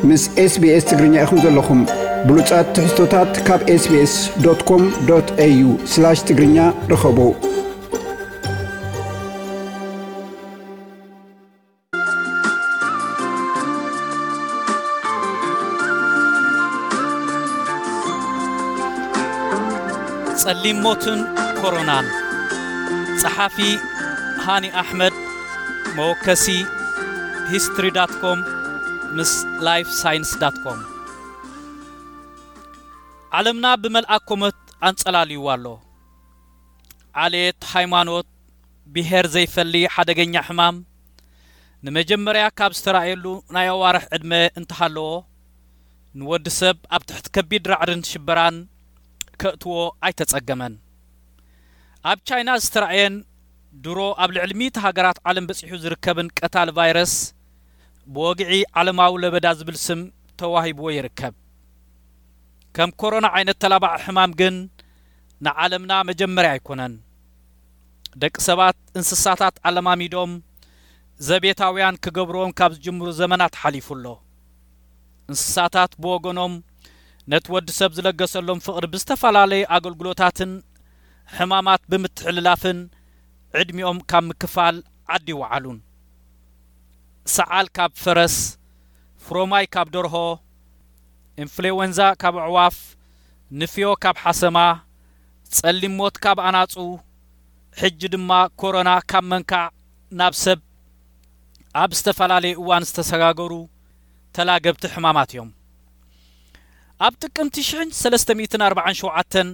ምስ SBS ትግርኛ ኢኹም ዘለኹም። ብሉጻት ትሕዝቶታት ካብ SBS.com.au/ትግርኛ ርኸቡ። ጸሊም ሞትን ኮሮናን። ጸሓፊ ሃኒ ኣሕመድ። መወከሲ history.com ምስ lifescience.com። ዓለምና ብመልኣ ኮመት ኣንጸላልይዋ ኣሎ። ዓሌት፣ ሃይማኖት፣ ብሄር ዘይፈሊ ሓደገኛ ሕማም ንመጀመርያ ካብ ዝተራእየሉ ናይ ኣዋርሕ ዕድመ እንተሃለዎ፣ ንወዲ ሰብ ኣብ ትሕቲ ከቢድ ራዕድን ሽበራን ከእትዎ ኣይተጸገመን። ኣብ ቻይና ዝተራእየን ድሮ ኣብ ልዕሊ ሚእቲ ሃገራት ዓለም በጺሑ ዝርከብን ቀታሊ ቫይረስ፣ ብወግዒ ዓለማዊ ለበዳ ዝብል ስም ተዋሂብዎ ይርከብ። ከም ኮሮና ዓይነት ተላባዒ ሕማም ግን ንዓለምና መጀመርያ ኣይኮነን። ደቂ ሰባት እንስሳታት ኣለማሚዶም ዘቤታውያን ክገብርዎም ካብ ዝጅምሩ ዘመናት ሓሊፉ ኣሎ። እንስሳታት ብወገኖም ነቲ ወዲ ሰብ ዝለገሰሎም ፍቕሪ ብዝተፈላለየ ኣገልግሎታትን ሕማማት ብምትሕልላፍን ዕድሚኦም ካብ ምክፋል ዓዲ ይወዓሉን። ሰዓል ካብ ፈረስ፣ ፍሮማይ ካብ ደርሆ፣ ኢንፍሉዌንዛ ካብ ኣዕዋፍ፣ ንፍዮ ካብ ሓሰማ፣ ጸሊም ሞት ካብ ኣናጹ፣ ሕጂ ድማ ኮሮና ካብ መንካዕ ናብ ሰብ ኣብ ዝተፈላለየ እዋን ዝተሰጋገሩ ተላገብቲ ሕማማት እዮም። ኣብ ጥቅምቲ ሽሕን ሰለስተ ሚእትን ኣርባዓን ሸውዓተን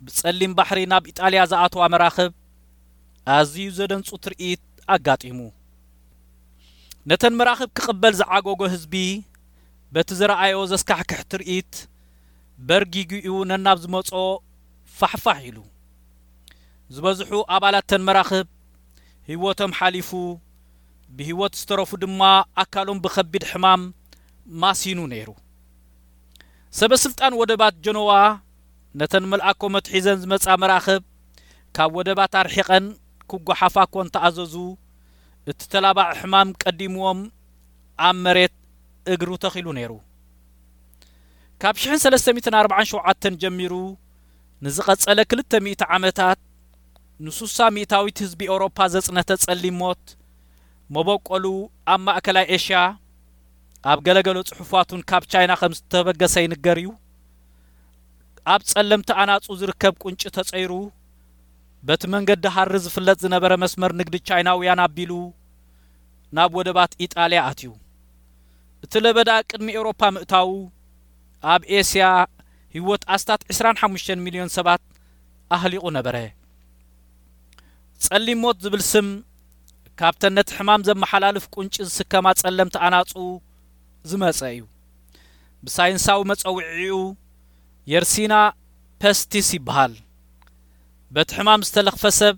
ብጸሊም ባሕሪ ናብ ኢጣልያ ዝኣተዋ መራኽብ ኣዝዩ ዘደንጹ ትርኢት ኣጋጢሙ። ነተን መራኽብ ክቕበል ዝዓገጎ ህዝቢ በቲ ዝረኣዮ ዘስካሕክሕ ትርኢት በርጊጉ እዩ ነናብ ዝመጾ ፋሕፋሕ ኢሉ። ዝበዝሑ ኣባላት ተን መራኽብ ህይወቶም ሓሊፉ፣ ብህይወት ዝተረፉ ድማ ኣካሎም ብኸቢድ ሕማም ማሲኑ ነይሩ። ሰበ ስልጣን ወደባት ጀኖዋ ነተን መልኣኮ መትሒዘን ዝመጻ መራኽብ ካብ ወደባት ኣርሒቐን ክጓሓፋ እኮ እንተኣዘዙ፣ እቲ ተላባዒ ሕማም ቀዲምዎም ኣብ መሬት እግሩ ተኺሉ ነይሩ። ካብ ሽሕን ሰለስተ ሚእትን ኣርባዓን ሸውዓተን ጀሚሩ ንዝቐጸለ ክልተ ሚእቲ ዓመታት ንሱሳ ሚእታዊት ህዝቢ ኤውሮፓ ዘጽነተ ጸሊም ሞት መበቆሉ ኣብ ማእከላይ ኤሽያ ኣብ ገለገለ ጽሑፋቱን ካብ ቻይና ከም ዝተበገሰ ይንገር እዩ። ኣብ ጸለምቲ ኣናጹ ዝርከብ ቁንጪ ተጸይሩ በቲ መንገዲ ሃሪ ዝፍለጥ ዝነበረ መስመር ንግዲ ቻይናውያን ኣቢሉ ናብ ወደባት ኢጣልያ ኣትዩ። እቲ ለበዳ ቅድሚ ኤውሮፓ ምእታዉ ኣብ ኤስያ ህይወት ኣስታት ዕስራን ሓሙሽተን ሚልዮን ሰባት ኣህሊቑ ነበረ። ጸሊም ሞት ዝብል ስም ካብተን ነቲ ሕማም ዘመሓላልፍ ቁንጪ ዝስከማ ጸለምቲ ኣናጹ ዝመጸ እዩ። ብሳይንሳዊ መጸውዒኡ የርሲና ፐስቲስ ይበሃል። በቲ ሕማም ዝተለኽፈ ሰብ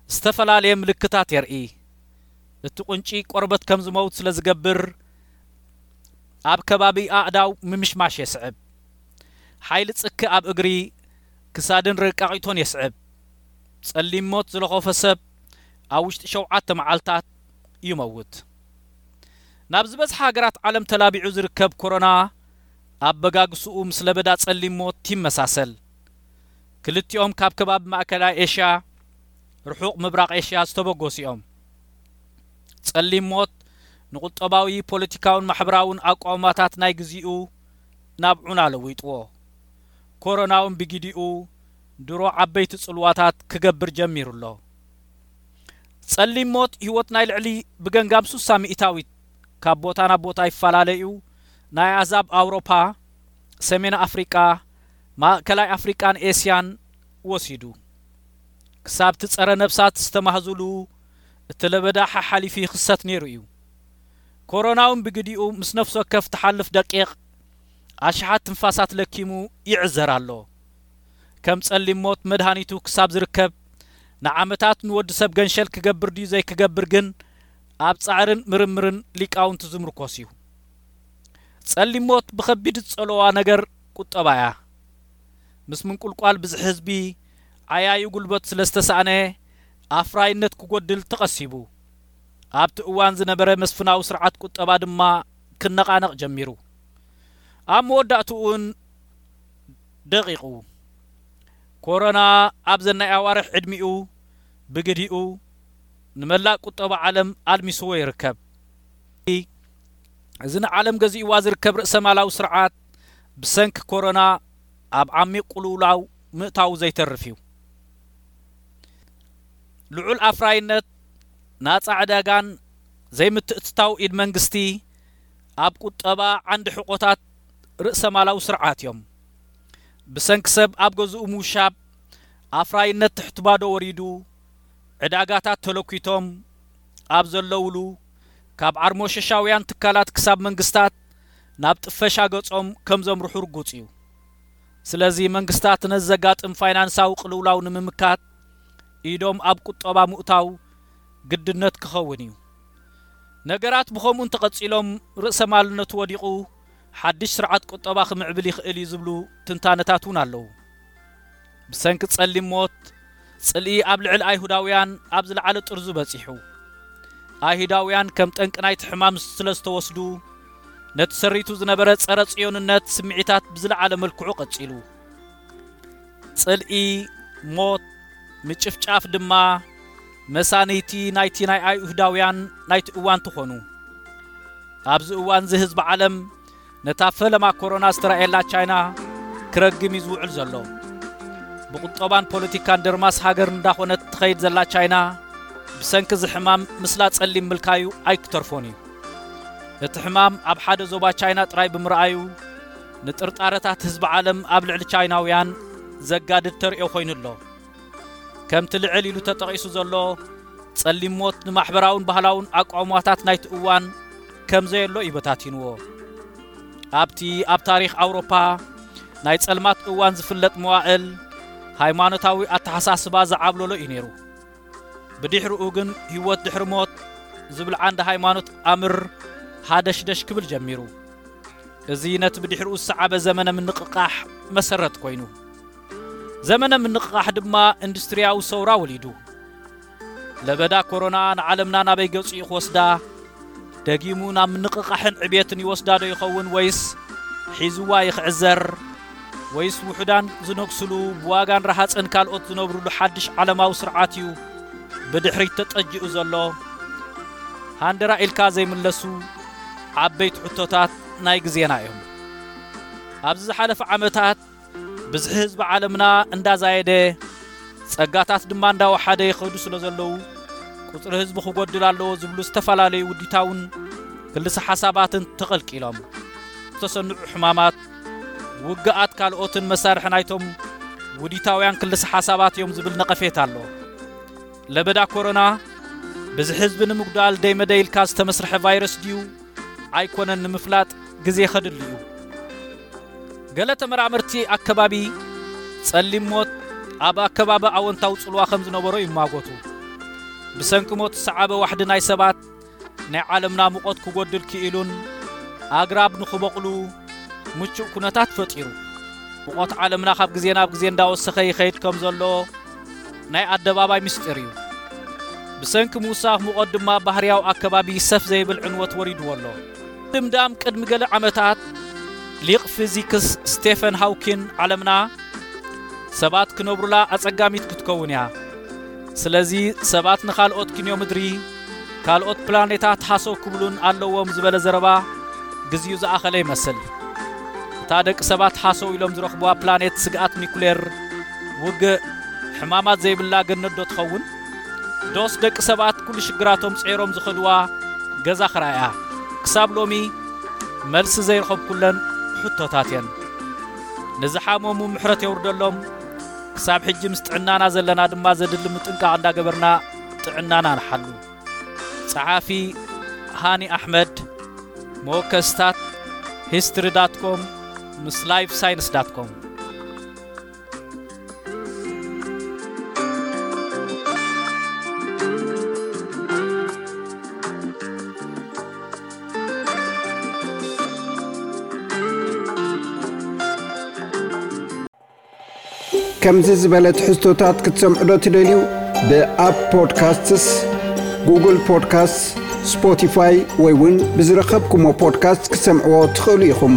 ዝተፈላለየ ምልክታት የርኢ። እቲ ቁንጪ ቆርበት ከም ዝመውት ስለ ዝገብር ኣብ ከባቢ ኣእዳው ምምሽማሽ የስዕብ። ሓይሊ ጽኪ ኣብ እግሪ፣ ክሳድን ርቃቒቶን የስዕብ። ጸሊም ሞት ዝለኸፎ ሰብ ኣብ ውሽጢ ሸውዓተ መዓልታት ይመውት። ናብ ዝበዝሓ ሃገራት ዓለም ተላቢዑ ዝርከብ ኮሮና ኣብ በጋግስኡ ምስ ለበዳ ጸሊም ሞት ይመሳሰል። ክልቲኦም ካብ ከባቢ ማእከላይ ኤሽያ፣ ርሑቕ ምብራቕ ኤሽያ ዝተበገሱ እዮም። ጸሊም ሞት ንቁጠባዊ፣ ፖለቲካውን ማሕበራውን ኣቋውማታት ናይ ግዚኡ ናብ ዑና ለዊጥዎ። ኮሮና እውን ብጊዲኡ ድሮ ዓበይቲ ጽልዋታት ክገብር ጀሚሩ ኣሎ። ጸሊም ሞት ህይወት ናይ ልዕሊ ብገንጋም ሱሳ ሚእታዊት ካብ ቦታ ናብ ቦታ ይፈላለዩ ናይ ኣህዛብ ኣውሮፓ፣ ሰሜን ኣፍሪቃ፣ ማእከላይ ኣፍሪቃን ኤስያን ወሲዱ። ክሳብ እቲ ጸረ ነብሳት ዝተማህዙሉ እቲ ለበዳ ሓሓሊፉ ይኽሰት ነይሩ እዩ። ኮሮና እውን ብግዲኡ ምስ ነፍሲ ወከፍ ትሓልፍ ደቂቕ ኣሽሓት ትንፋሳት ለኪሙ ይዕዘር ኣሎ። ከም ጸሊም ሞት መድሃኒቱ ክሳብ ዝርከብ ንዓመታት ንወዲ ሰብ ገንሸል ክገብር ድዩ ዘይክገብር ግን ኣብ ጻዕርን ምርምርን ሊቃውንቲ ዝምርኮስ እዩ። ጸሊም ሞት ብኸቢድ ዝጸለዋ ነገር ቁጠባ እያ። ምስ ምንቁልቋል ብዝሒ ህዝቢ ዓያዩ ጉልበት ስለ ዝተሳእነ ኣፍራይነት ክጎድል ተቐሲቡ። ኣብቲ እዋን ዝነበረ መስፍናዊ ስርዓት ቁጠባ ድማ ክነቓነቕ ጀሚሩ። ኣብ መወዳእትኡን ደቒቑ። ኮሮና ኣብዘን ናይ ኣዋርሕ ዕድሚኡ ብግዲኡ ንመላእ ቁጠባ ዓለም ኣልሚስዎ ይርከብ። እዚ ንዓለም ገዚእዋ ዝርከብ ርእሰማላዊ ስርዓት ብሰንኪ ኮሮና ኣብ ዓሚቕ ቅልውላው ምእታዉ ዘይተርፍ እዩ። ልዑል ኣፍራይነት፣ ናጻ ዕዳጋን ዘይምትእትታው ኢድ መንግስቲ ኣብ ቁጠባ ዓንዲ ሕቆታት ርእሰማላዊ ስርዓት እዮም። ብሰንኪ ሰብ ኣብ ገዝኡ ምውሻብ ኣፍራይነት ትሕቲ ባዶ ወሪዱ፣ ዕዳጋታት ተለኲቶም ኣብ ዘለውሉ፣ ካብ ዓርሞሸሻውያን ትካላት ክሳብ መንግስታት ናብ ጥፈሻ ገጾም ከም ዘምርሑ ርጉጽ እዩ። ስለዚ መንግስታት ነዚ ዘጋጥም ፋይናንሳዊ ቅልውላው ንምምካት ኢዶም ኣብ ቁጠባ ምእታው ግድነት ክኸውን እዩ። ነገራት ብኸምኡ እንተቐጺሎም ርእሰ ማልነቱ ወዲቑ ሓድሽ ስርዓት ቁጠባ ክምዕብል ይኽእል እዩ ዝብሉ ትንታነታት እውን ኣለዉ። ብሰንኪ ጸሊም ሞት፣ ጽልኢ ኣብ ልዕሊ ኣይሁዳውያን ኣብ ዝለዓለ ጥርዙ በጺሑ። ኣይሁዳውያን ከም ጠንቂ ናይቲ ሕማም ስለ ዝተወስዱ፣ ነቲ ሰሪቱ ዝነበረ ጸረ ጽዮንነት ስምዒታት ብዝለዓለ መልክዑ ቀጺሉ። ጽልኢ፣ ሞት፣ ምጭፍጫፍ ድማ መሳንይቲ ናይቲ ናይ ኣይሁዳውያን ናይቲ እዋን ትኾኑ። ኣብዚ እዋን እዚ ህዝቢ ዓለም ነታ ፈለማ ኮሮና ዝተራእየላ ቻይና ክረግም እዩ ዝውዕል ዘሎ። ብቁጠባን ፖለቲካን ደርማስ ሃገር እንዳኾነት ትኸይድ ዘላ ቻይና ብሰንኪ እዚ ሕማም ምስላ ጸሊም ምልካዩ ኣይክተርፎን እዩ። እቲ ሕማም ኣብ ሓደ ዞባ ቻይና ጥራይ ብምርኣዩ ንጥርጣረታት ህዝቢ ዓለም ኣብ ልዕሊ ቻይናውያን ዘጋድድ ተርእዮ ኮይኑ ኣሎ። ከምቲ ልዕል ኢሉ ተጠቒሱ ዘሎ ጸሊም ሞት ንማሕበራውን ባህላውን ኣቋውማታት ናይቲ እዋን ከም ዘየሎ እዩ በታቲንዎ። ኣብቲ ኣብ ታሪኽ ኣውሮፓ ናይ ጸልማት እዋን ዝፍለጥ መዋእል ሃይማኖታዊ ኣተሓሳስባ ዝዓብለሎ እዩ ነይሩ። ብድሕሪኡ ግን ህይወት ድሕሪ ሞት ዝብል ዓንዲ ሃይማኖት ኣምር ሃደሽደሽ ክብል ጀሚሩ። እዚ ነቲ ብድሕሪኡ ዝሰዓበ ዘመነ ምንቕቓሕ መሰረት ኮይኑ። ዘመነ ምንቕቓሕ ድማ ኢንዱስትርያዊ ሰውራ ወሊዱ። ለበዳ ኮሮና ንዓለምና ናበይ ገጹ እዩ ክወስዳ? ደጊሙ ናብ ምንቕቓሕን ዕብየትን ይወስዳ ዶ ይኸውን ወይስ ሒዝዋ ይኽዕዘር? ወይስ ውሑዳን ዝነግስሉ ብዋጋን ረሃጽን ካልኦት ዝነብርሉ ሓድሽ ዓለማዊ ስርዓት እዩ ብድሕሪት ተጠጅኡ ዘሎ? ሃንደራ ኢልካ ዘይምለሱ ዓበይቲ ሕቶታት ናይ ግዜና እዮም። ኣብዚ ዝሓለፈ ዓመታት ብዝሒ ህዝቢ ዓለምና እንዳዛየደ፣ ጸጋታት ድማ እንዳወሓደ ይኸዱ ስለ ዘለዉ፣ ቁጽሪ ህዝቢ ክጎድል ኣለዎ ዝብሉ ዝተፈላለዩ ውዲታውን ክልሰ ሓሳባትን ተቐልቂሎም። ዝተሰንዑ ሕማማት፣ ውግኣት ካልኦትን መሳርሒ ናይቶም ውዲታውያን ክልሰ ሓሳባት እዮም ዝብል ነቐፌታ ኣሎ። ለበዳ ኮሮና ብዝሒ ህዝቢ ንምጉዳል ደይመደይ ኢልካ ዝተመስርሐ ቫይረስ ድዩ ኣይኮነን ንምፍላጥ ግዜ ከድሊ እዩ። ገለ ተመራመርቲ ኣከባቢ ጸሊም ሞት ኣብ ኣከባቢ ኣወንታዊ ጽልዋ ከም ዝነበሮ ይማጎቱ። ብሰንኪ ሞት ዝሰዓበ ዋሕዲ ናይ ሰባት ናይ ዓለምና ሙቐት ክጎድል ክኢሉን ኣግራብ ንኽበቑሉ ምቹእ ኩነታት ፈጢሩ። ሙቐት ዓለምና ካብ ግዜ ናብ ግዜ እንዳወሰኸ ይኸይድ ከም ዘሎ ናይ ኣደባባይ ምስጢር እዩ። ብሰንኪ ምውሳኽ ሙቐት ድማ ባህርያዊ ኣከባቢ ሰፍ ዘይብል ዕንወት ወሪድዎ ኣሎ። ድምዳም ቅድሚ ገለ ዓመታት ሊቕ ፊዚክስ ስቴፈን ሃውኪን ዓለምና ሰባት ክነብሩላ ኣጸጋሚት ክትከውን እያ። ስለዚ ሰባት ንኻልኦት ክንዮ ምድሪ ካልኦት ፕላኔታት ሃሰው ክብሉን ኣለዎም ዝበለ ዘረባ ግዜኡ ዝኣኸለ ይመስል። እታ ደቂ ሰባት ሃሰው ኢሎም ዝረኽብዋ ፕላኔት ስግኣት ኒኩሌር ውግእ ሕማማት ዘይብላ ገነት ዶ ትኸውን? ዶስ ደቂ ሰባት ኩሉ ሽግራቶም ጸይሮም ዝኸድዋ ገዛ ክራያ? ክሳብ ሎሚ መልሲ ዘይረኸብኩለን ሕቶታት እየን። ንዝሓመሙ ምሕረት የውርደሎም። ክሳብ ሕጂ ምስ ጥዕናና ዘለና ድማ ዘድሊ ምጥንቃቕ እንዳገበርና ጥዕናና ንሓሉ። ጸሓፊ ሃኒ ኣሕመድ፣ መወከስታት ሂስትሪ ዳት ኮም ምስ ላይፍ ሳይንስ ዳት ኮም። ከምዚ ዝበለ ትሕዝቶታት ክትሰምዑ ዶ ትደልዩ? ብኣፕ ፖድካስትስ፣ ጉግል ፖድካስትስ፣ ስፖቲፋይ ወይ እውን ብዝረኸብኩሞ ፖድካስት ክትሰምዕዎ ትኽእሉ ኢኹም።